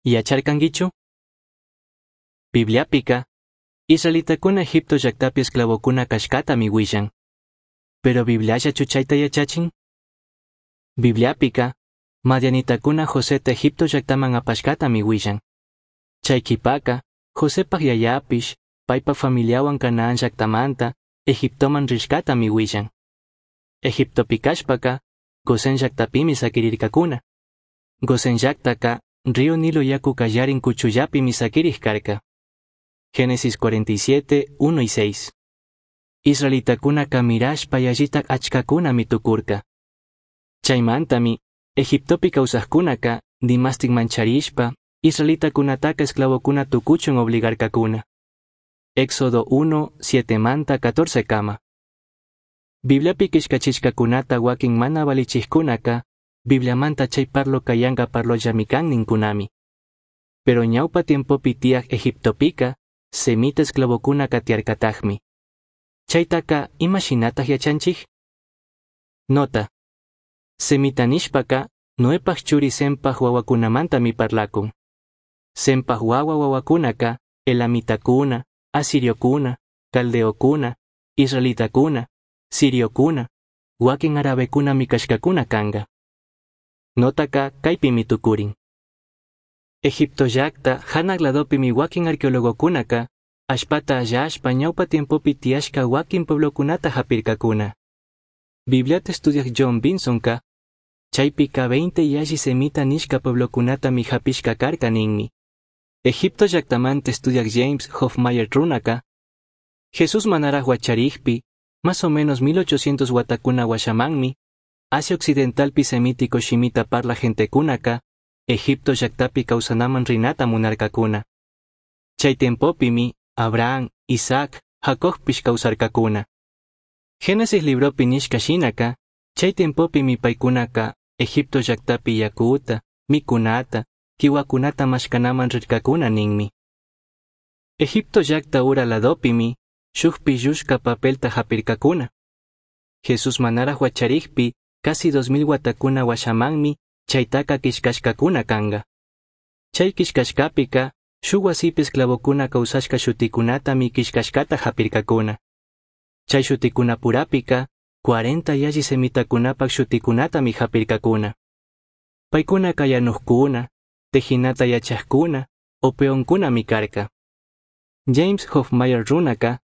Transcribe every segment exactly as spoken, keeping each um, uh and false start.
Yacharcanguichu? Bibliapica, israelitacuna Egipto llaktapi esclavocuna cashcatami huillan. Pero Bibliallachu chayta yachachin? Bibliapica, madianitacuna Joseta Egipto llaktaman apashcatami huillan. Chay qhipaka, Josepaj yayapish, paypa familiawan Canaán llaktamanta, Egiptoman rishcatami huillan. Egiptopi kashpaka, Gosén llaktapimi saquirircacuna. Gosén llaktaka, río Nilo yaku kallarin kuchullapimi sakirij karka. Génesis cuarenta y siete, uno y seis. Israelitakunaka mirashpa yallitak achkakunami tukurka. Chaymantami, Egiptopi kawsajkunaka, dimastik mancharishpa, israelitakunataka esclavokuna tukuchun obligarkakuna. Éxodo uno, siete manta catorce kama. Bibliapi killkachishkakunata wakin mana valichijkunaka, Bibliamanta chay parloka yanka parlollami kan ninkunami. Pero ñawpa tiempopi tiyaj Egiptopika, semita esclavokuna tiyarkatajmi. Chaytaka ima shinataj yachanchij? Nota. Semita nishpaka, Noepaj churi Sempaj wawakunamantami parlakun. Sempaj wawa wawakunaka, elamitakuna, asiriokuna, caldeokuna, israelitakuna, siriokuna, wakin arabekunami kashkakuna kanga. Notaka kaypimi tukurin. Egipto llakta hanaq ladopimi wakin arqueologokunaka, allpata allashpa ñawpa tiempopi tiyashka wakin pueblokunata hapirkakuna. Bibliata estudiaj John Binsonka, chaypika veinte yalli semita nishka pueblokunatami hapishka karka ninmi. Egipto llaktamanta estudiaj James Hoffmeier runaka, Jesús manaraj wacharijpi, más o menos mil ochocientos watakuna washamanmi, Asia Occidentalpi semítico shimita parla gentekunaka, Egipto llaktapi kawsanaman rinata munarkakuna. Chay tiempopimi, Abraham, Isaac, Jacobpish kawsarkakuna. Génesis libropi nishka shinaka, chay tiempopimi paykunaka, Egipto llaktapi yakuta, mikunata, kiwakunata mashkanaman rirkakuna ninmi. Egipto llakta ura ladopimi, shuk pillushka papelta hapirkakuna. Jesús manaraj wacharijpi, casi dos mil watakuna washamanmi, chaytaka killkashkakuna kanga. Chay killkashkapika, shuk wasipi esclavokuna kawsashka shutikunatami killkashkata hapirkakuna. Chay shutikunapurapika, cuarenta yalli semitakunapak shutikunatami hapirkakuna. Paykunaka yanuqkuna, tejinata yachaqkuna, o peonkunami karka. James Hoffmeier runaka,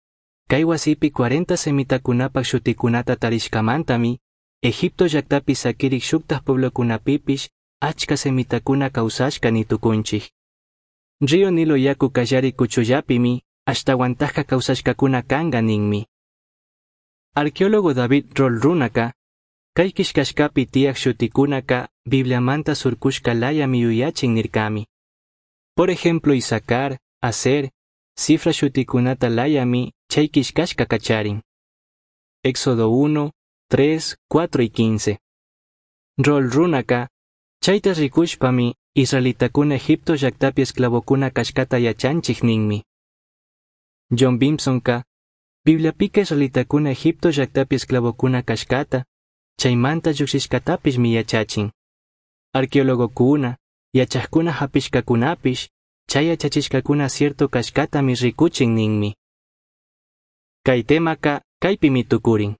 kay wasipi cuarenta semitakunapak shutikunata tarishkamantami, Egipto llaktapi sakirik shuktaj pueblokunapipish achka semitakuna kawsashka nitukunchik. Río Nilo yaku kallari kuchullapimi ashtawantajka kawsashkakuna kanka ninmi. Arqueólogo David Rohl runaka, kay killkashkapi tiyaj shutikunaka Bibliamanta surkushka layami yuyachin nirkami. Por ejemplo, Isacar, Aser, cifra shutikunata layami chay killkashka kacharin. Éxodo uno, tres, cuatro y quince. Rohl runaka, chayta rikushpami israelitakuna Egipto llaktapi esclavokuna kashkata yachanchik ninmi. John Bimsonka, Bibliapika israelitakuna Egipto llaktapi esclavokuna kashkata, chaymanta llukshishkatapishmi yachachin. Arqueologokuna, yachajkuna hapishkakunapish, chay yachachishkakuna cierto kashkatami rikuchin ninmi. Kay temaka kaypimi tukurin.